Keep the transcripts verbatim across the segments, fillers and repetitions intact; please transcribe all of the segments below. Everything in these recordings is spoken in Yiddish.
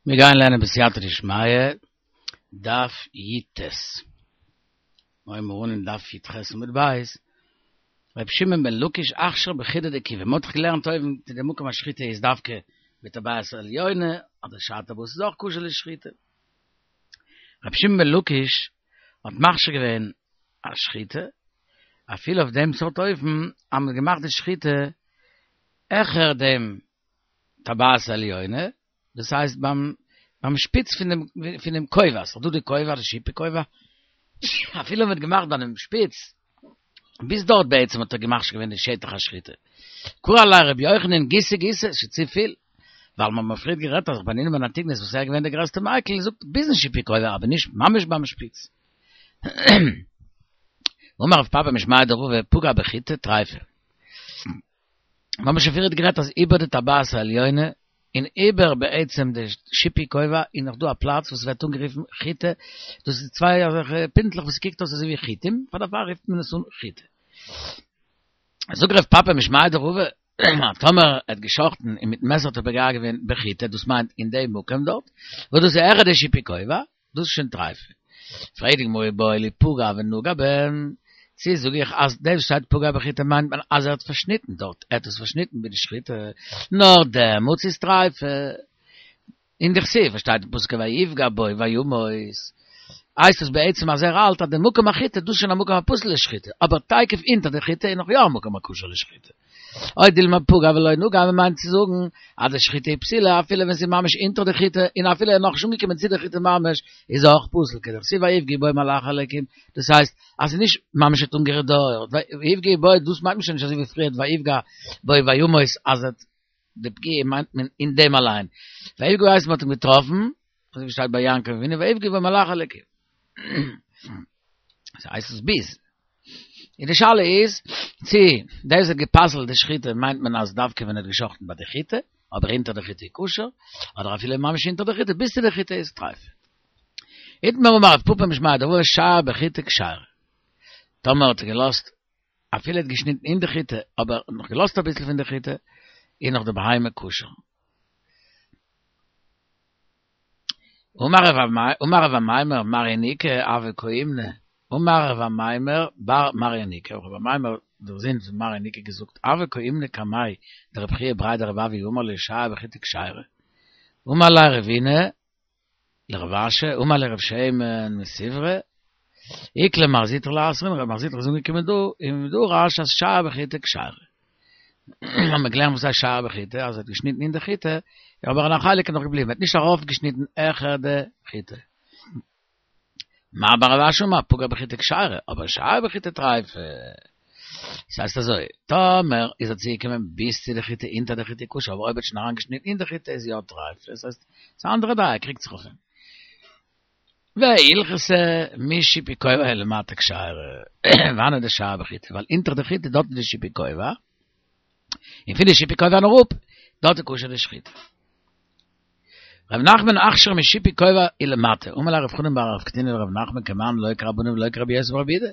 מיר גייען לערנען בסייעתא דשמיא, דף י"ט. מיר הייבן אן אין דף י"ח עמוד ב', ר' שמעון בן לקיש אכשר בחיטי דכיבי, מען האט דאך געלערנט אויבן צו די מקום השחיטה איז דווקא בטבעת העליונה, אדער שאר טבעות איז אויך כשר לשחיטה. ר' שמעון בן לקיש האט מכשיר געווען א שחיטה, אפילו אויף דעם סארט אופן אז מען האט געמאכט די שחיטה העכער דעם טבעת העליונה, דאס הייסט ביים ביים שפיץ פון דעם פון דעם כובע, ס'איז דא די כובע, די שיפי כובע, אפילו מ'האט געמאכט ביי דעם שפיץ, ביז דארט בעצם האט ער געמכשיר געווען די שטח השחיטה. קרי עליה רבי יוחנן גיסא גיסא, ס'איז צופיל, ווייל מ'האט מיר פריערט גערעדט אז רבי חנינא בן אנטיגנוס וואס ער איז געווען דער גרעסטער מיקל זאגט ביזן שיפי כובע אבער נישט ממש ביים שפיץ. אמר רב פפא משמיה דרבא פגע בחיטה טריפה. מיר האבן שוין פריערט גערעדט אז איבער די טבעת העליונה און איבער בעצם די שיפי כובע איז נאך דא א פלאץ וואס ווערט אנגערופן חיטה, דאס איז צוויי אזעלכע פינטלעך וואס קוקט אויס אזוי ווי חיטים, פאר דערפאר רופט מען עס אן חיטה. זאגט רב פפא משמיה דרבא, טאמער ער האט געשחטן און מיטן מעסער האט ער פוגע געווען בחיטה, דאס מיינט אין די מקום דארט, וואס דאס איז העכער די שיפי כובע, דאס איז שוין טרייפה. פרעגט די גמרא איבעיא להו פגע ונגע בהן, צי זאג איך אז דאס שטייט פגע בחיטה מיינט מען אז ער האט פארשניטן דארט, ער האט עס פארשניטן ביי די שחיטה, נאר דעמאלטס איז טרייפה. און דכתיב שטייט אין פסוק ויפגע בו וימות, הייסט עס בעצם אז ער האלט אז די מקום החיטה דאס איז שוין א מקום הפסול לשחיטה, אבער תיכף אונטער די חיטה איז נאך יא א מקום הכשר לשחיטה. או דילמא פגע ולא נגע מען מיינט צו זאגן אז די שחיטה איז פסולה אפילו ווען ס'איז ממש אונטער די חיטה און אפילו ער איז נאכנישט אנגעקומען צו די חיטה ממש איז אויך פסול כדכתיב ויפגעו בו מלאכי אלוקים דאס הייסט אז ס'איז נישט ממש האט אנגערירט דארט ויפגעו בו דאס מיינט מען שוין נישט אזוי ווי פריערט ויפגע בו וימות אז די פגיעה מיינט מען אין דעם אליין ויפגעו הייסט מ'האט אים געטראפן אזוי ווי שטייט ביי יעקב אבינו ויפגעו בו מלאכי אלוקים ס'הייסט עס ביז און די שאלה איז צי דאס האט גע'פסל'ט די שחיטה מיינט מען אז דווקא ווען ער האט גע'שחט'ן ביי די חיטה, אבער אונטער די חיטה איז כשר, אדער אפילו ממש אונטער די חיטה ביז צו די חיטה איז טרייף. איתמר אמר רב פפא משמיה דרבא שער בחיטה כשרה. טאמער האט ער געלאזט אפילו ער האט געשניטן אין די חיטה אבער נאך געלאזט אביסל פון די חיטה איז נאך די בהמה כשר. אמר רב אמימר מר ינוקא הוה קאימנא, אמר רב אמימר בר מר ינוקא, רב אמימר דער זון פון מר ינוקא געזאגט, הוה קאימנא קמיה דרב חייא בריה דרב אבהו אמר להו שער בחיטה כשרה, אמר ליה רבינא לרב אשי, אמר ליה רב שמן מספרא, איקלע מר זוטרא לאתרין, רב מר זוטרא איז אנגעקומען דא און דרש אז שער בחיטה כשרה. האבן מיר געלערנט וואס הייסט שער בחיטה, אז ער האט געשניטן אין די חיטה, אבער א חלק איז נאך געבליבן, ער האט נישט ארויפגעשניטן העכער די חיטה. מר בר רב אשי אמר פגע בחיטה כשרה, אבער שער בחיטה טריפה. ס'הייסט אזוי, טאמער איז ער צוגעקומען ביז צו די חיטה אונטער די חיטה כשר, אבער אויב ער האט שוין אריינגעשניטן אין די חיטה איז יא טריפה, ס'הייסט ס'איז א אנדערע דעה, ער קריגט זיך אויף אים. והלכתא משיפי כובע ולמטה כשרה, וואנעט דשער בחיטה, ווייל אונטער די חיטה דארט איז די שיפי כובע, און פון די שיפי כובע און אראפ, דארט איז כשר די שחיטה. ר' נחמן אכשר משיפי כובע ולמטה, אמר ליה רב חנן בר רב קטינא לר' נחמן כמאן לא כרבנן ולא כרבי יוסי ברבי יהודה,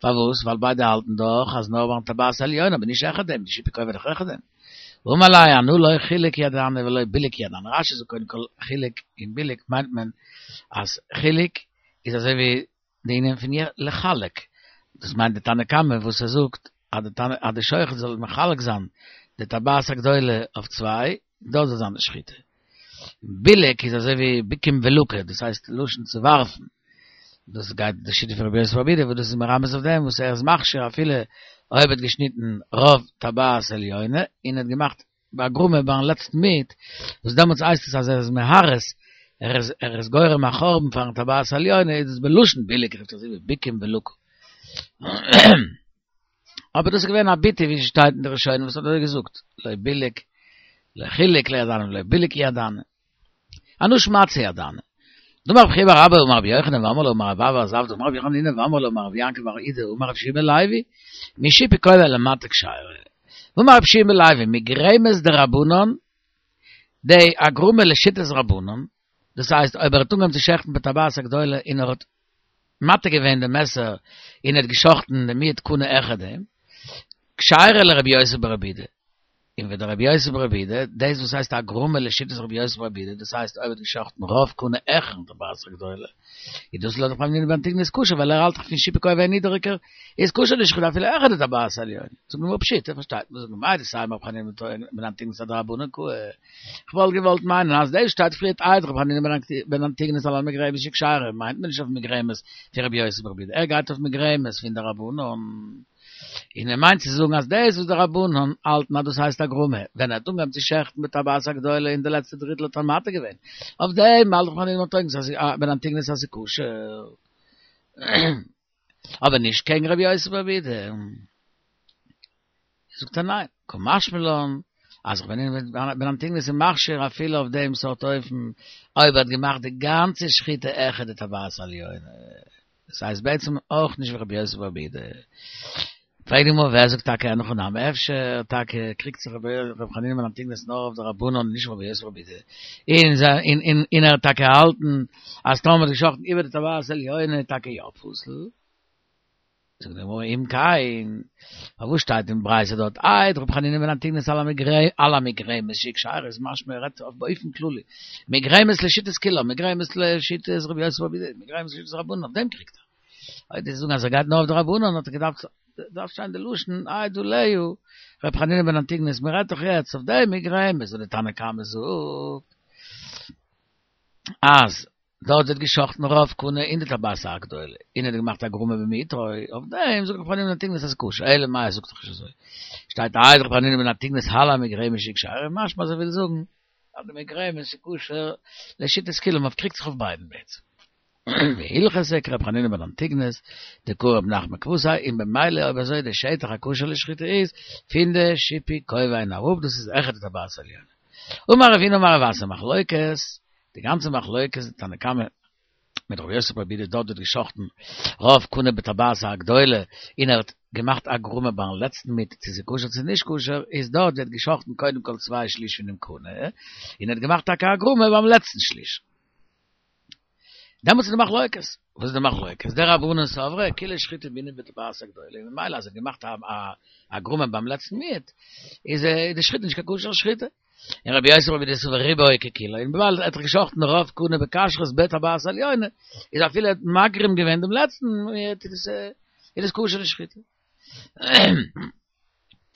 פארוואס? ווייל ביידע האלטן דאך אז נאר ביים טבעת העליונה אבער נישט העכער דעם, די שיפי כובע איז דאך העכער דעם. אמר ליה אנא לא חילוק ידענא ולא בילוק ידענא, רש"י זאגט קודם כל חילוק און בילוק מיינט מען אז חילוק איז אזוי ווי די ענין פון לחלק, דאס מיינט די תנא קמא וואס ער זאגט אז די תנא אז די שוחט זאל מחלק זיין די טבעת הגדולה אויף צוויי, דארט זאל זיין די שחיטה. בילוק איז אזוי ווי בוקים ולקה, דאס הייסט לשון צו ווארפן, דאס גייט די שיטה פון רבי יוסי ברבי יהודה וואס דאס איז מרמז אויף דעם וואס ער איז מכשיר אפילו אויב האט געשניטן רוב טבעת עליונה און האט געמאכט בהגרמה ביים לעצטן מיעוט, וואס דעמאלטס הייסט עס אז ער איז מהרס, ער איז ער איז גורם א חורבן פארן טבעת עליונה, איז דאס בלשון בילוק רופט אזוי ווי בוקים ולקה. אבער דאס איז געווען א ביטוי ווי ס'שטייט אין די ראשונים וואס האט אזוי געזאגט, לא בילוק, לא חילוק לא ידענא ולא בילוק ידענא. אנא שמעתתא ידענא. דאמר רב חייא בר אבא אמר רבי יוחנן ואמרי לה אמר רב אבא בר זבדא אמר רבי חנינא ואמרי לה אמר רבי יעקב בר אידי אמר רבי יהושע בן לוי משיפי כובע ולמטה כשרה. ואמר רבי יהושע בן לוי מגרמת דרבנן די הגרמה לשיטת רבנן דאס הייסט אויב ער האט אנגעהויבן צו שעכטן בטבעת הגדולה און ער האט מטה געווען די מעסער און ער האט געשאכטן די מיעוט קנה העכער דעם, כשרה לרבי יוסי ברבי יהודה. אין ווען דער רבי יוסף רבי דה, דאס וואס הייסט א גרומע לשיטת רבי יוסף רבי דה, דאס הייסט אויב האט געשאכטן רוב קונה עכן טבעת הגדולה. איז דאס לויט רבי חנינא בן אנטיגנוס כשר, ווייל ער האלט דאך פון שיפי כהן נידעריגער, איז כשר נישט אפילו עכן די טבעת העליונה. זאגט מיר פשיטא, פארשטייט מען, זאגט מיר מאי דסיים רבי חנינא בן אנטיגנוס אדרבנן קאי. איך וואלט געוואלט מיינען אז דאס שטייט פריערט איידער רבי חנינא בן אנטיגנוס על המגרמת שהיא כשרה, מיינט מען נישט אויף מגרמת פון רבי יוסי ברבי יהודה, ער גייט אויף מגרמת פון די רבנן. און ער מיינט צו זאגן אז דאס וואס די רבנן האלטן אז דאס הייסט א גרמא, ווען ער האט אנגעהויבן צו שעכטן בטבעת הגדולה אין די לעצטע דריטל האט ער מתיר געווען, אויף דעם האלט רבי חנינא בן אנטיגנוס אז ס'איז כשר. אבער נישט קעגן רבי יוסי ברבי יהודה. זאגט ער ניין, קא משמע לן, אז רבי חנינא בן אנטיגנוס איז מכשיר אפילו אויף דעם סארט אופן, אויב ער האט געמאכט די גאנצע שחיטה העכער די טבעת העליונה. דאס הייסט בעצם אויך נישט ווי רבי יוסי ברבי יהודה. פרעגט די גמרא ווער זאגט טאקע אין הכי נמי, אפשר טאקע קריגט זיך רבי חנינא בן אנטיגנוס נאר אויף די רבנן נישט רבי יוסי ברבי יהודה, און און און ער האט טאקע געהאלטן אז טאמער מ'האט געשאכטן איבער די טבעת העליונה איז טאקע יא פסול. זאגט די גמרא אם כן, פארוואס שטייט אין ברייתא דארט העיד רבי חנינא בן אנטיגנוס על המגרמת שהיא כשרה איז משמע ער רעדט אויף באופן כללי, מגרמת לשיטת כולם, מגרמת לשיטת רבי יוסי ברבי יהודה, מגרמת לשיטת רבנן, אויף דעם קריגט ער. אויב דו זאגן אז ער גייט נאר אויף די רבנן האט ער געדארפט דארף שטיין די לשון העיד עליה רבי חנינא בן אנטיגנוס מען רעדט דאך יעצט אויף די מגרמת וואס די תנא קמא זאגט אז דארט ווערט געשאכטן רוב קנה אין די טבעת הגדולה און ער האט געמאכט א גרמא במיעוטו אויף דעם זאגט רבי חנינא בן אנטיגנוס אז ס'איז כשר אלא מאי ער זאגט דאך נישט אזוי שטייט העיד רבי חנינא בן אנטיגנוס על המגרמת שהיא כשרה משמע אז ער וויל זאגן אז די מגרמת איז כשר לשיטת כולם אויף קריגט זיך אויף ביידן בעצם. והלכתא כרבי חנינא בן אנטיגנוס דקאי רב נחמן כוותיה און במילא אויב אזוי די שטח הכשר לשחיטה איז פון די שיפוי כובע און אראפ דאס איז העכער די טבעת העליונה. אמר רב הונא אמר רב אסי מחלוקת, די גאנצע מחלוקת די תנא קמא מיט רבי יוסי ברבי יהודה דארט ווערט געשאכטן רוב קנה בטבעת הגדולה און ער האט געמאכט א גרמא ביים לעצטן מיעוט צו ס'איז כשר צו נישט כשר איז דארט ווערט געשאכטן קודם כל צוויי שליש פונעם קנה און ער האט געמאכט טאקע א גרמא ביים לעצטן שליש. דעמאלטס איז די מחלוקת. וואס איז די מחלוקת? די רבנן סברי כולה שחיטה בעינן בטבעת הגדולה, און ממילא אז ער האט געמאכט א גרמא ביים לעצטן מיעוט, איז די שחיטה נישט קיין כשר'ע שחיטה. און רבי יוסי ברבי יהודה סבר רובו ככולו, און וויבאלד ער האט דאך געשאכטן רוב קנה בכשרות בטבעת העליונה, איז אפילו ער האט מגרים געווען דעם לעצטן מיעוט, איז עס כשר'ע שחיטה.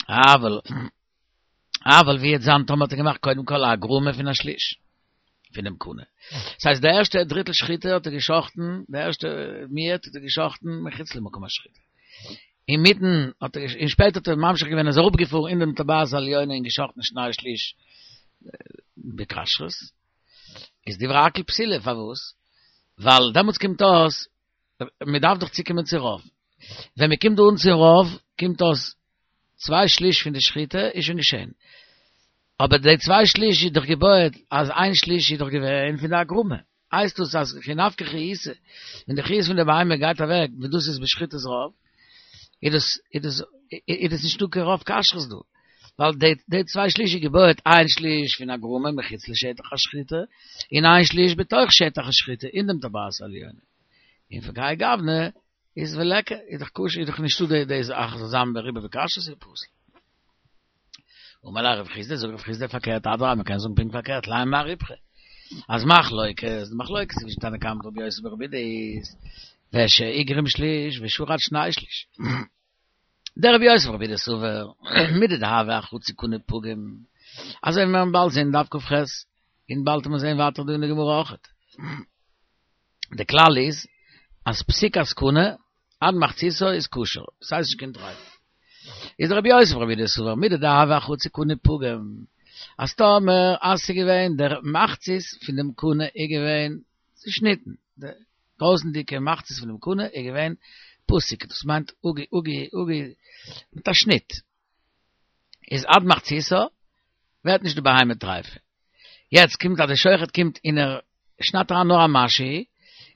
אבל אבל ווי וועט זיין טאמער האט ער געמאכט קודם כל א גרמא פון א שליש פונעם קנה. דאס הייסט די ערשטע דריטל שחיטה האט ער געשאכטן, די ערשטע מיעוט האט ער געשאכטן מחוץ למקום השחיטה. אינמיטן האט ער, און שפעטער האט ער ממשיך געווען איז אראפגעפארן אין דעם טבעת העליונה און געשאכטן שני שליש בכשרות. איז דברי הכל פסולה, פארוואס? ווייל דעמאלטס קומט אויס, מען דארף דאך צוקומען צו רוב. ווען מען קומט דא אן צו רוב, קומט אויס צוויי שליש פון די שחיטה איז שוין געשען. אבער די צוויי שליש איז דאך געבויעט אז איין שליש איז דאך געווען פון די הגרמה. הייסט דאס אז כי נפקא חיותא, ווען די חיות פון די בהמה גייט אוועק, ווען דאס איז בשחיטת רוב, איז דאס איז דאס איז דאס נישטא קיין רוב כשרות דא. ווייל די די צוויי שליש איז געבויעט איין שליש פון הגרמה מחוץ לשטח השחיטה, און איין שליש בתוך שטח השחיטה אין דעם טבעת העליונה. און פון כהאי גוונא איז וליכא, איז דאך כשר, איז דאך נישטא די די זאך זאל זיין ברובו בכשרות איז פסול. אמר לך רב חסדא, זאגט רב חסדא פארקערט, אדרבה מען קען זאגן פונקט פארקערט, לימא מר ריפכא, אז מחלוקת, די מחלוקת צווישן תנא קמא מיט רבי יוסי ברבי יהודה איז, ושהגרים שליש ושחט שני שליש. דרבי יוסי ברבי יהודה סבר, מידי דהוה אחצי קנה פגום, אזוי ווי מיר וועלן באלד זען דף כ"ח, און באלד וועט מען זען ווייטער דא אין די גמרא אויכעט. די כלל איז אז פסיקת קנה עד מחציתו איז כשר, ס'הייסט נישט קיין טרייף. איז דרבי יוסי ברבי יהודה סבר מידי דהוה אחצי קנה פגום, אז טאמער אז ס'איז געווען דער מחצית פון דעם קנה איז געווען צושניטן, די דרויסנדיגע מחצית פון דעם קנה איז געווען פסוק, דאס מיינט אפגע אפגע אפגע מיט א שניט, איז עד מחציתו ווערט נישט די בהמה טרייפה. יעצט קומט אז די שוחט קומט און ער שניידט אריין נאר א משהו,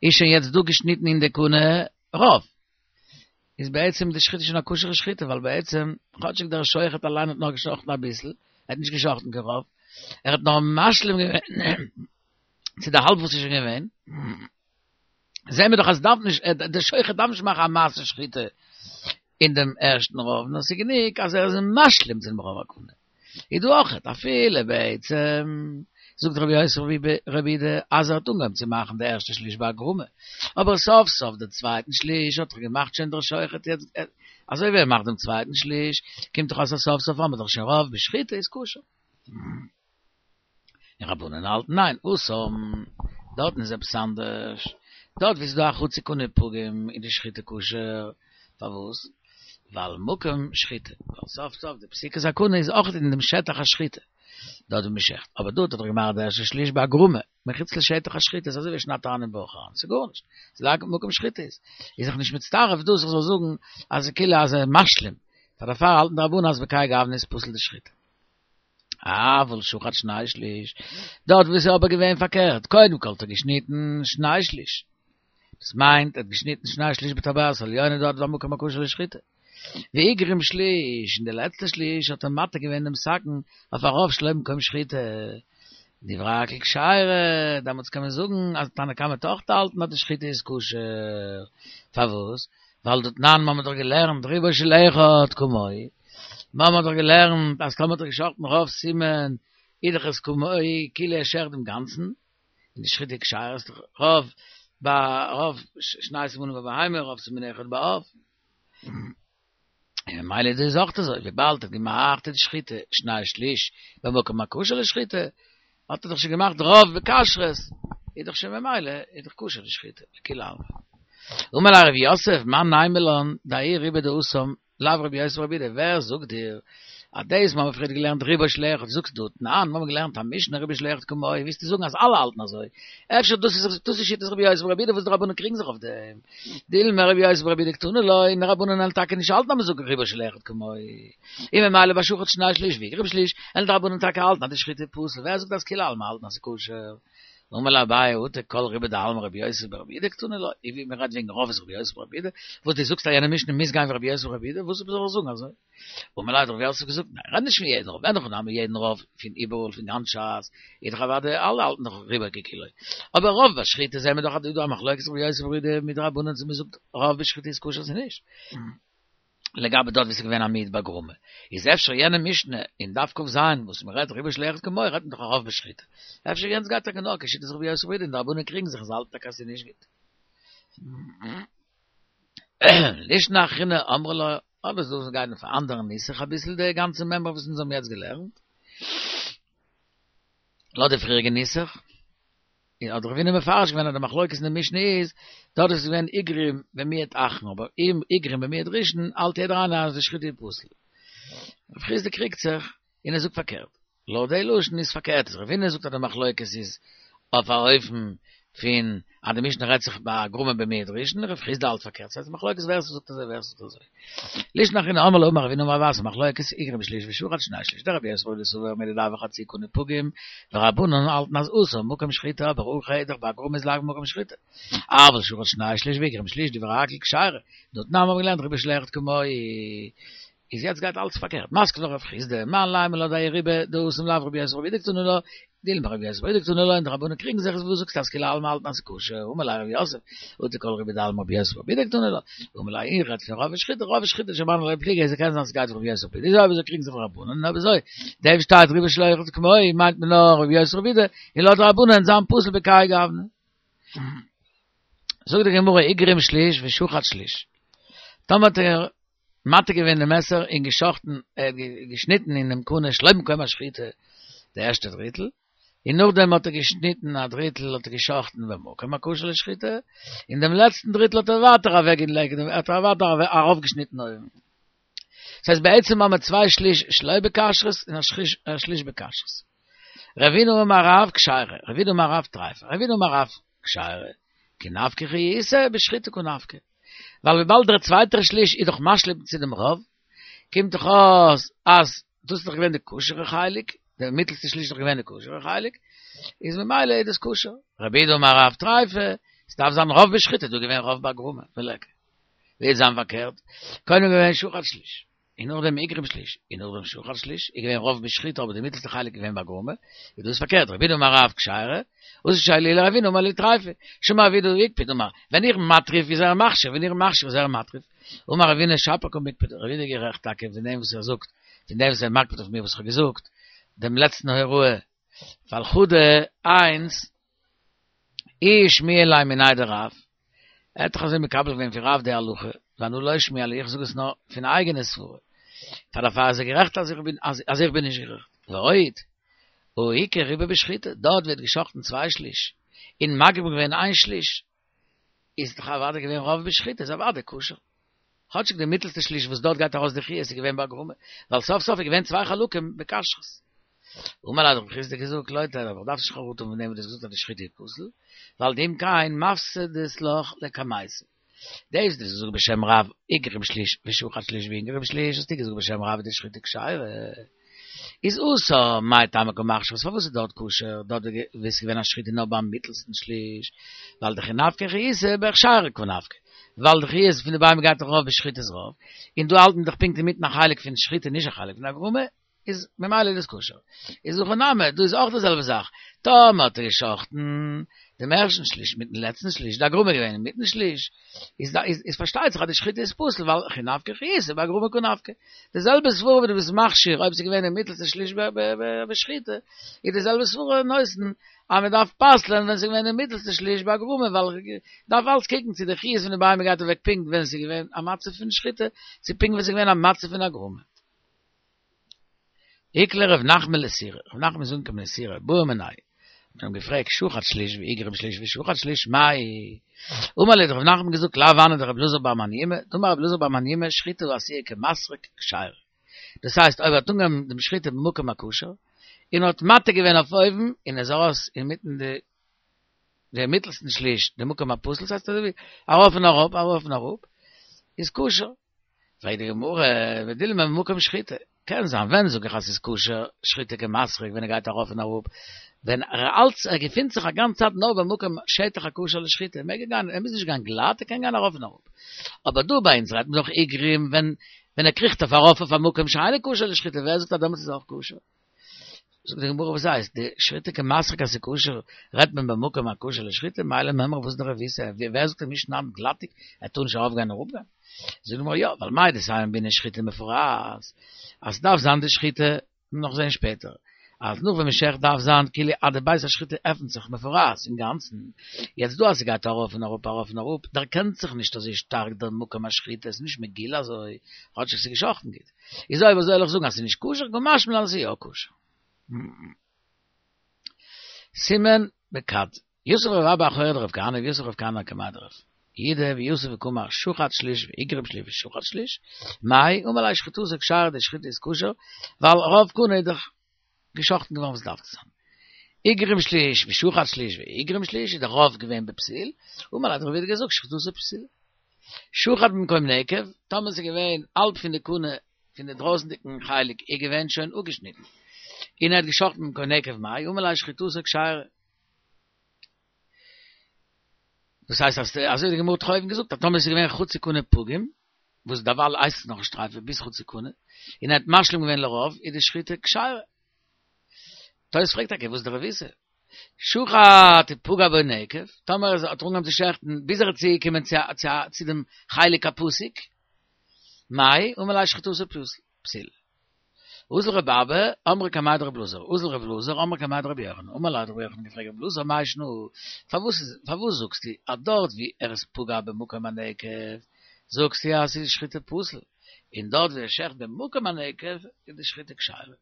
איז שוין יעצט דא געשניטן אין די קנה רוב, איז בעצם די שחיטה שוין א כשר'ע שחיטה, ווייל בעצם כאטשיג דער שוחט אליין האט נאר געשחט'ן אביסל, ער האט נישט געשחט'ן קיין רוב, ער האט נאר משלים געווען צו די האלב וואס איז שוין געווען, זעהן מיר דאך אז דארף נישט, דער שוחט דארף נישט מאכן א מעשה שחיטה אין דעם ערשטן רוב, נאר ס'איז גענוג אז ער איז משלים צו דעם רוב הקנה. איז דא אויכעט, אפילו בעצם, זאגט רבי יוסי ברבי יהודה, אז ער האט אנגעהויבן צו מאכן די ערשטע שליש באגרמה, אבער סוף סוף די צווייטן שליש האט ער געמאכט שוין דער שוחט יעצט, אזוי ווי ער מאכט דעם צווייטן שליש, קומט דאך אויס אז סוף סוף האמיר דאך שוין רוב בשחיטה איז כשר. און רבנן האלטן ניין, התם, דארטן איז עפעס אנדערש, דארט ווי ס'איז דא א חצי קנה פגום איז די שחיטה כשר, פארוואס? ווייל מקום שחיטה, ווייל סוף סוף די פסיקת הקנה איז אויך אין דעם שטח השחיטה, דארט ווי מ'שעכט, אבער דארט האט ער געמאכט די ערשטע שליש באגרמה, מחוץ לשטח השחיטה, איז אזוי ווי שניידט אריין אין בויך אריין, ס'איז גארנישט, ס'איז לאו מקום שחיטה איז, איז זיך נישט מצטרף דאס איך זאל זאגן אז כאילו אז ער משלים, פאר דערפאר האלטן די רבנן אז בכהאי גוונא איז פסול די שחיטה. אבל שחט שני שליש, דארט וואו ס'איז אבער געווען פארקערט, קודם כל האט ער געשניטן שני שליש, דאס מיינט ער האט געשניטן שני שליש בטבעת העליונה דארט וואו מקום הכשר לשחיטה, והגרים שליש, און די לעצטע שליש האט ער מתיר געווען דעם סכין אויף א רוב שלא במקום שחיטה. דברי הכל כשרה, דעמאלטס קען מען זאגן אז תנא קמא וועט אויך האלטן אז די שחיטה איז כשר. פארוואס? ווייל דתנן מ'האמיר דאך געלערנט רובו של אחד כמוהו, מ'האמיר דאך געלערנט אז טאמער האט ער געשחטן רוב סימן איז דאך עס כמוהו כאילו ער שעכט דעם גאנצן, און די שחיטה כשרה איז דאך רוב ביי רוב שני סימנים בבהמה רוב סימן אחד בעוף. און ממילא איז דאס אויך אזוי, וויבאלד ער האט געמאכט די שחיטה שני שליש במקום הכשר לשחיטה, האט ער דאך שוין געמאכט רוב בכשרות, איז דאך שוין ממילא איז דאך כשר די שחיטה, לכולי עלמא. אמר ליה רב יוסף, מאן נימא לן, דהאי רובא דהתם, לאו רבי יוסי ברבי יהודה, ווער זאגט דיר אז דאס מ'האמיר פריער געלערנט רובו של אחד זאגסט דתנן, מ'האמיר געלערנט א משנה רובו של אחד כמוהו, ווילסטו זאגן אז אלע האלטן אזוי? אפשר דאס איז דאס איז שיטת רבי יוסי ברבי יהודה וואס די רבנן קריגן זיך אויף דעם? דילמא רבי יוסי ברבי יהודה קתני לה, און די רבנן וועלן טאקע נישט האלטן אז מ'זאגט רובו של אחד כמוהו, און ממילא ביי שחט שני שליש והגרים שליש, וועלן די רבנן טאקע האלטן אז די שחיטה איז פסול, ווער זאגט אז כולי עלמא האלטן אז ס'איז כשר? אמר ליה אביי אטו כל רובא דעלמא רבי יוסי ברבי יהודה קתני לה, אי ווי מ'רעדט וועגן רוב איז רבי יוסי ברבי יהודה, וואס דו זאגסט אז יענע משנה מוז גיין ווי רבי יוסי ברבי יהודה, וואס זאל איך זאגן אזוי? אמר ליה האט רב יוסף געזאגט, ניין, רעד נישט פון יעדן רוב, אין הכי נמי יעדן רוב פון איבעראל פון גאנץ ש"ס, איז דאך אוודאי אלע האלטן דאך רובו ככולו, אבער רוב בשחיטה זעהן מיר דאך אז דא איז דא א מחלוקת רבי יוסי ברבי יהודה מיט די רבנן צו מ'זאגט רוב בשחיטה איז כשר צו נישט. לגבי דארט ווי ס'איז געווען א מיעוט בהגרמה, איז אפשר יענע משנה אין דף כ"ז וואס מ'רעדט רובו של אחד כמוהו רעדט מען דאך א רוב בשחיטה, אפשר יענץ גייט טאקע נאר כשיטת רבי יוסי ברבי יהודה און די רבנן קריגן זיך און זיי האלטן טאקע אז ס'איז נישט גוט. לישנא אחרינא אמרי לה, אבער ס'דא וואס גייען אויף א אנדערן נוסח אביסל די גאנצע מימרא וואס אונז האבן יעצט געלערנט, לויט די פריעריגע נוסח, און האט רבינא מפרש געווען אז די מחלוקת אין די משנה איז, דארט איז געווען הגרים במיעוט אחרון, אבער אם הגרים במיעוט ראשון האלט יעדער איינער אז די שחיטה איז פסול. רב חסדא קריגט זיך און ער זאגט פארקערט. לויט די לשון איז פארקערט, אז רבינא זאגט אז די מחלוקת איז אויף א אופן פון אז די משנה רעדט זיך בהגרמה במיעוט ראשון, רב חסדא האלט פארקערט, ס'הייסט מחלוקת ווער ס'זאגט אזוי ווער ס'זאגט אזוי. לישנא אחרינא אמרי לה אמר רב הונא אמר רב אסי מחלוקת הגרים שליש ושחט שני שליש דרבי יוסי ברבי יהודה סבר מידי דהוי חצי קנה פגום ורבנן האלטן אז התם מקום שחיטה אבער הכא איז דאך בהגרמה איז לאו מקום שחיטה אבל שחט שני שליש והגרים שליש דברי הכל כשרה דתנן מ'האבן געלערנט רובו של אחד כמוהו איז יעצט גייט אלץ פארקערט, מתקיף לה רב חסדא, מאן נימא לן דהאי רובא דהתם לאו רבי יוסי ברבי יהודה קתני לה, דילמא רבי יוסי ברבי יהודה קתני לה און די רבנן קריגן זיך איז וואס זאגסטו אז כולי עלמא האלטן אז ס'איז כשר, אמר ליה רב יוסף, אטו כל רובא דעלמא רבי יוסי ברבי יהודה קתני לה, אמר ליה איך רעד פון רוב בשחיטה, רוב בשחיטה שמני לה לא פליגי אז ס'קען זיין ס'גייט רבי יוסי ברבי יהודה, איז אויב אזוי קריגן זיך די רבנן, און אויב אזוי דעם שטייט רובו של אחד כמוהו מיינט מען נאר רבי יוסי ברבי יהודה, און לויט די רבנן זיין פסול בכהאי גוונא. זאגט די גמרא הגרים שליש ושחט שליש, טאמער האט ער מתיר געווען די מעסער און געשחטן, ער האט געשניטן אינעם קנה שלא במקום השחיטה די ערשטע דריטל, און נאכדעם האט ער געשניטן א דריטל האט ער געשחטן במקום הכשר לשחיטה, און דעם לעצטן דריטל האט ער ווייטער אוועקגעלייגט, האט ער ווייטער ארויפגעשניטן אויבן. דאס הייסט בעצם האבן מיר צוויי שליש שלא בכשרות און א שליש בכשרות. רבינא אמר רב כשרה, רבינא אמר רב טריפה, רבינא אמר רב כשרה, כי נפקא חיותא בשחיטה קא נפקא. ווייל וויבאלד דער צווייטער שליש איז דאך משלים צו דעם רוב, קומט דאך אויס אז דאס איז דאך געווען די כשר'ע חלק, דער מיטלסטע שליש איז דאך געווען די כשר'ע חלק, איז ממילא איז דאס כשר. רב יהודה אמר רב טריפה, עס דארף זיין רוב בשחיטה, דא איז געווען רוב בהגרמה, וליכא. ווי וועט זיין פארקערט, קודם געווען שחט שליש. און נאכדעם הגרים שליש, און נאכדעם שחט שליש, איז געווען רוב בשחיטה אבער די מיטלסטע חלק איז געווען בהגרמה, איז דאס פארקערט, רב יהודה אמר רב כשרה, אתא שאלוה לרבינא אמר להו טריפה, שמע רב יהודה הקפיד אמר, ווען איך מטריף איז ער מכשיר, ווען איך מכשיר איז ער מטריף, אמר רבינא שפיר קא מיקפד, רב יהודה איז גערעכט טאקע פון דעם וואס ער זאגט פון דעם וואס ער מקפיד אויף מיר וואס איך האב געזאגט, דעם לעצטן הוראה, ווייל חדא איינס, איהו שמיע ליה מיניה דרב, ער האט דאך אזוי מקבל געווען פון רב די הלכה, ואנא לא שמיע לי, איך זאג עס נאר פון אייגענע סברה, פאר דערפאר איז ער גערעכט אז איך בין אז איך בין נישט גערעכט, ועוד, הא איכא רובא בשחיטה, דארט ווערט געשאכטן צוויי שליש, און מגרים געווען איין שליש, איז דאך אוודאי געווען רוב בשחיטה, איז אוודאי כשר. כאטשיג די מיטלסטע שליש וואס דארט גייט ארויס די חיות איז געווען בהגרמה, ווייל סוף סוף איז געווען צוויי חלקים בכשרות. אמר ליה האט רב חסדא געזאגט לא תיהוי, איך דארף נישט חרטה האבן פון דעם וואס דו האסט געזאגט אז די שחיטה איז פסול, ווייל דאם כן מפסדת לך לקמייתא. דאס וואס דו האסט געזאגט בשם רב איגרים שליש ושחט שליש ואינגרים שליש האסטו געזאגט בשם רב איז די שחיטה כשרה. איז התם מאי טעמא קא מכשירי, פארוואס איז דארט כשר, דארט ווי עס איז געווען א שחיטה נאר ביים מיטלסטן שליש, ווייל דכי נפקא חיותא בהכשרה קא נפקא, ווייל די חיות פון די בהמה גייט דאך ארויף בשחיטת רוב, און דא האלט מען דאך פונקט אינמיטן א חלק פון שחיטה נישט א חלק פון הגרמה, איז ממילא איז דאס כשר. איז הכא נמי, דא איז אויך די זעלבע זאך, טאמער האט ער געשחט'ן דעם ערשטן שליש מיטן לעצטן שליש, די הגרמה איז געווען אינמיטן שליש, איז איז פארשטייט זיך אז די שחיטה איז פסול ווייל הכי נפקא חיותא בהגרמה קא נפקא. די זעלבע סברא ווי דו ביסט מכשיר אויב ס'איז געווען אין מיטלסטע שליש בשחיטה, איז די זעלבע סברא נותן אז מען דארף פסל'ען ווען ס'איז געווען אין מיטלסטע שליש בהגרמה ווייל דארף אלץ קוקן צו די חיות פון די בהמה גייט אוועק פונקט ווען ס'איז געווען א מצב פון שחיטה צו פונקט ווען ס'איז געווען א מצב פון הגרמה. איקלע ר' נחמן לסורא, ר' נחמן איז אנגעקומען אין סורא, בעו מיניה, מען האט אים געפרעגט שחט שליש ואיגרים שליש ושחט שליש מאי? אמר להו האט ר' נחמן געזאגט לאו הני דר' אלעזר בר מניומי, דאמר ר' אלעזר בר מניומי שחיטה העשויה כמסרק כשרה, דאס הייסט אויב ער האט אנגעהויבן דעם שחיטה במקום הכשר, און האט מתיר געווען אויף אויבן און איז ארויס אינמיטן די די מיטלסטן שליש די מקום הפסול, ס'הייסט אזוי ווי ארויף און אראפ ארויף און אראפ, איז כשר. פרעגט די גמרא, ודילמא במקום שחיטה, קען זיין ווען זאג איך אז ס'איז כשר שחיטה כמסרק ווען ער גייט ארויף און אראפ, ווען ער אלץ ער געפינט זיך א גאנץ צייט נאר במקום שטח הכשר לשחיטה, מעג ער גיין, ער מוז נישט גיין גלאט, ער קען גיין ארויף און אראפ. אבער דא ביי אונז רעדט מען דאך איגרים ווען ווען ער קריכט אויף ארויף אויף א מקום שאינו כשר לשחיטה, ווער זאגט אז דעמאלטס איז אויך כשר? זאגט די גמרא וואס הייסט די שחיטה כמסרק אז ס'איז כשר רעדט מען במקום הכשר לשחיטה מאי למימרא וואס איז די רבותא ווער זאגט ער מוז שניידן גלאטיג ער טאר נישט ארויף גיין אראפ גיין זאגט די גמרא יא ווייל מהו דתימא בעינן שחיטה מפורעת אז ס'דארף זיין די שחיטה נאך זעהן שפעטער אז נאך ווען מ'שעכט דארף זיין כאילו אז די בית השחיטה עפנט זיך מפורעת אינגאנצן יעצט דא אז ס'גייט ארויף און אראפ ארויף און אראפ דערקענט זיך נישט אזוי שטארק דער מקום השחיטה ס'איז נישט מגולה אזוי כאטשיג ס'איז געשאכטן גוט. איז אויב אזוי וועל איך זאגן אז ס'איז נישט כשר, קא משמע לן אז ס'איז יא כשר. סימן בכד. יתיב רב אבא אחורי דרב כהנא ויתיב רב כהנא קמיה דרב יהודה ויתיב וקאמר שחט שליש ואיגרים שליש ושחט שליש, מאי אמר ליה שחיטתו כשרה די שחיטה איז כשר, ווייל רוב קנה איז דאך געשאכטן געווארן ווי ס'דארף צו זיין. איגרים שליש ושחט שליש ואיגרים שליש איז דער רוב געווען בפסיל, אמר ליה האט רב יהודה געזאגט שחיטתו פסולה. שחט במקום נקב, טאמער ס'איז געווען האלב פון די קנה פון די דרויסנדיגן חלק איז געווען שוין אפגעשניטן, און ער האט געשחטן במקום נקב מאי אמר ליה שחיטתו כשרה. דאס הייסט אז אזוי האט די גמרא האט אויבן געזאגט אז טאמער ס'איז געווען חצי קנה פגום, וואס דערווייל הייסט עס נאכנישט טריפה ביז חצי קנה, און ער האט משלים געווען לרוב, איז די שחיטה כשרה. תוס' פרעגט טאקע וואס איז די רבותא? שחט ופגע בו נקב, טאמער ער האט אנגעהויבן צו שעכטן ביז ער איז צוגעקומען צו צו דעם חלק הפסוק, מאי אמר ליה שחיטתו פסולה. אזל רבי אבא, אמרי קמיה דרבי אלעזר, אזל רבי אלעזר, אמרי קמיה דרבי יוחנן, אמר ליה האט רבי יוחנן געפרעגט רבי אלעזר מאי שנא, פארוואס פארוואס זאגסטו אז דארט ווי ער איז פגע במקום הנקב זאגסטו אז ס'איז שחיטה פסול, און דארט ווי ער שעכט במקום הנקב איז די שחיטה כשרה?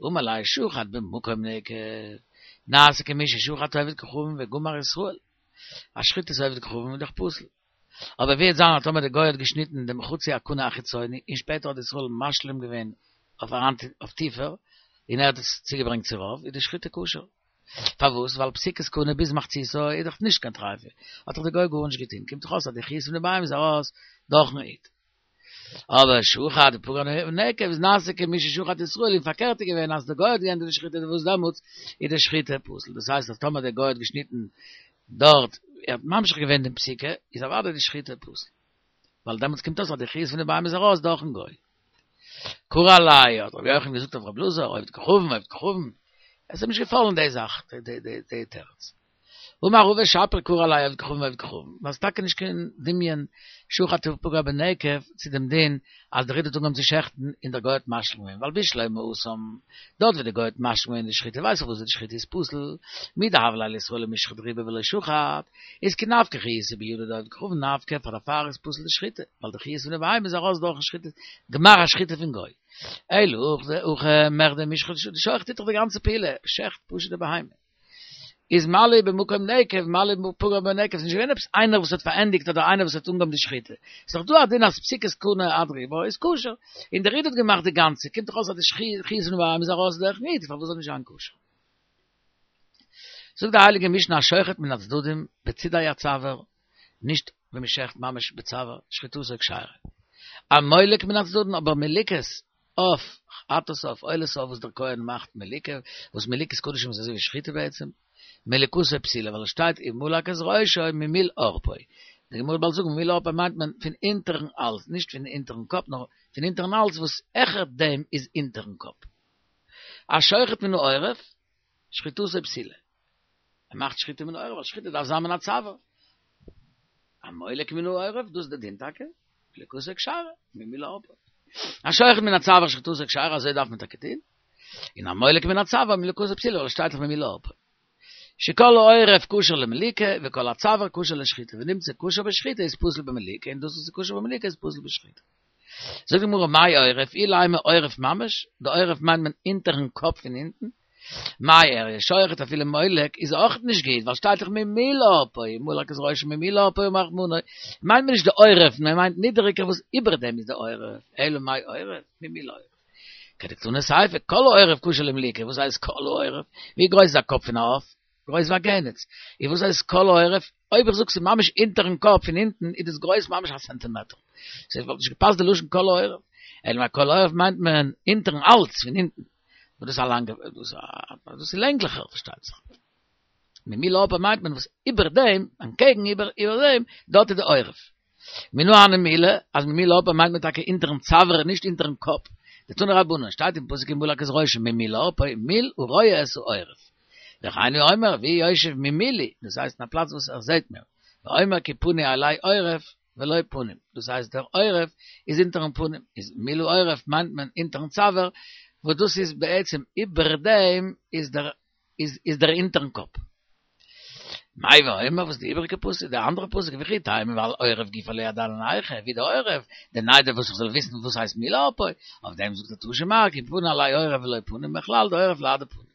אמר ליה שחט במקום נקב, נעשה כמי ששחט עובד כוכבים וגמר ישראל, א שחיטת עובד כוכבים איז דאך פסול. אבער ווי וועט זיין אז טאמער די גוי האט געשניטן דעם חצי הקנה החיצוני און שפעטער האט ישראל משלים געווען אויף אריין אויף טיפער און ער האט עס צוגעברענגט צו רוב איז די שחיטה כשר. פארוואס? ווייל פסיקת קנה ביז מחציתו איז דאך נישט קיין טריפה, האט דאך די גוי גארנישט געטון, קומט דאך אויס אז די חיות פון די בהמה איז ארויס דורכן איד. אבער שחט ופגע נקב איז נעשה כמי ששחט ישראל און פארקערט איז געווען אז די גוי האט געענדיגט די שחיטה וואס דעמאלטס איז די שחיטה פסול דאס הייסט אז טאמער די גוי האט געשניטן דארט ער האט ממשיך געווען דעם פסיקה איז אוודאי די שחיטה פסול ווייל דעמאלטס קומט אויס אז די חיות פון די בהמה איז ארויס דורכן גוי. קרי עליה האט רבי יוחנן געזאגט אויף רבי אלעזר עובד כוכבים עובד כוכבים עס איז אים נישט געפאלן די זאך די תירוץ. אמר רבא שפיר קרי עליה עובד כוכבים עובד כוכבים, ווייל ס'איז טאקע נישט קיין דמיון שחט ופגע בנקב צו דעם דין אז דער איד האט אנגעהויבן צו שעכטן און דער גוי האט משלים געווען, ווייל בשלמא התם, דארט ווי דער גוי האט משלים געווען די שחיטה ווייס איך וואס די שחיטה איז פסול, מדהוה ליה לישראל למישחט רובא ולא שחט, איז כי נפקא חיותא בידא דעובד כוכבים נפקא, פאר דערפאר איז פסול די שחיטה, ווייל די חיות פון די בהמה איז ארויס דורכן שחיטה, גמר השחיטה פון גוי. אלא הכא מכדי מישחט, די שוחט טוט דאך די גאנצע פעולה, שעכט פשוט די בהמה. איז מה לי במקום נקב, מה לי פגע בנקב, ס'איז נישט געווען עפעס איינער וואס האט פארענדיגט אדער איינער וואס האט אנגעהויבן די שחיטה. ס'איז דאך דא א דין אז פסיקת קנה עד רובה איז כשר, און דער איד האט געמאכט די גאנצע, קומט דאך אויס אז די חיות פון די בהמה איז ארויס דורכן איד, פארוואס זאל נישט זיין כשר? זאגט די הייליגע משנה השוחט מן הצדדים בצידי הצוואר, נישט ווען מ'שעכט ממש בצוואר, שחיטתו כשרה. המולק מן הצדדים, אבער מליקות עוף, חטאת עוף, עולת עוף וואס דער כהן מאכט מליקה, וואס מליקת קדשים איז אזוי ווי שחיטה בעצם, מליקתו פסולה, ווייל עס שטייט ומלק את ראשו ממול ערפו. די גמרא וועט באלד זאגן ממול ערפו מיינט מען פון אונטערן האלז, נישט פון אונטערן קאפ, נאר פון אונטערן האלז וואס העכער דעם איז אונטערן קאפ. השוחט מן העורף, שחיטתו פסולה. ער מאכט שחיטה מן העורף, ווייל שחיטה דארף זיין מן הצוואר. המולק מן העורף, דאס איז די דין טאקע, מליקתו כשרה, ממול ערפו. השוחט מן הצוואר שחיטתו כשרה, אזוי דארף מען טאקע טון. און המולק מן הצוואר מליקתו פסולה, ווייל עס שטייט דאך ממול ערפו. שכל העורף כשר למליקה, וכל הצוואר כשר לשחיטה, ונמצא כשר בשחיטה איז פסול במליקה, און דאס וואס איז כשר במליקה איז פסול בשחיטה. זאגט די גמרא מאי עורף, אילימא עורף ממש, די עורף מיינט מען אונטערן קאפ פון אונטן, מאי איריא שוחט אפילו מולק איז אויך נישט גוט ווייל שטייט דאך ממול ערפו ומלק את ראשו ממול ערפו אמר רחמנא מיינט מען נישט די עורף מען מיינט נידעריגער וואס איבער דעם איז די עורף אלא מאי עורף ממול עורף כדקתני סיפא כל העורף כשר למליקה וואס הייסט כל העורף ווי גרויס איז א קאפ פון א עוף גרויס ווי א גענעץ און וואס הייסט כל העורף אויב איך זאג ס'איז ממש אונטערן קאפ פון אונטן איז דאס גרויס ממש א סענטימעטער סאו וואלט נישט געפאסט די לשון כל העורף אלא מאי כל העורף מיינט מען אונטערן האלז פון אונטן וואס דאס איז א לאנגע, דאס איז לענגליכער פארשטייט זיך. ממול ערפו מיינט מען וואס איבער דעם, אנטקעגן איבער איבער דעם, דארט איז די עורף. מנא הני מילי, אז ממול ערפו מיינט מען טאקע אונטערן צוואר נישט אונטערן קאפ. דתנו רבנן, שטייט אין פסוק ומלק את ראשו ממול ערפו, מול הרואה את העורף. וכן הוא אומר, והוא יושב ממולי, דאס הייסט אין א פלאץ וואס ער זעט מיר. ואומר כי פני אלי עורף, ולא פנים, דאס הייסט דער עורף איז אונטערן פנים, איז מול העורף מיינט מען אונטערן צוואר, וואס דאס איז בעצם איבער דעם איז דער איז איז דער אונטערן קאפ. מאי ואומר וואס די איבעריגע פסוק, די אנדערע פסוק וכי תימא ועל עורף גופא לא ידעינן היכא, ווי די עורף, דנידע וואס איך זאל וויסן וואס הייסט מול ערפו, אויף דעם זאגט ער תא שמע כי פני אלי עורף ולא פנים מכלל דעורף לאו דפנים.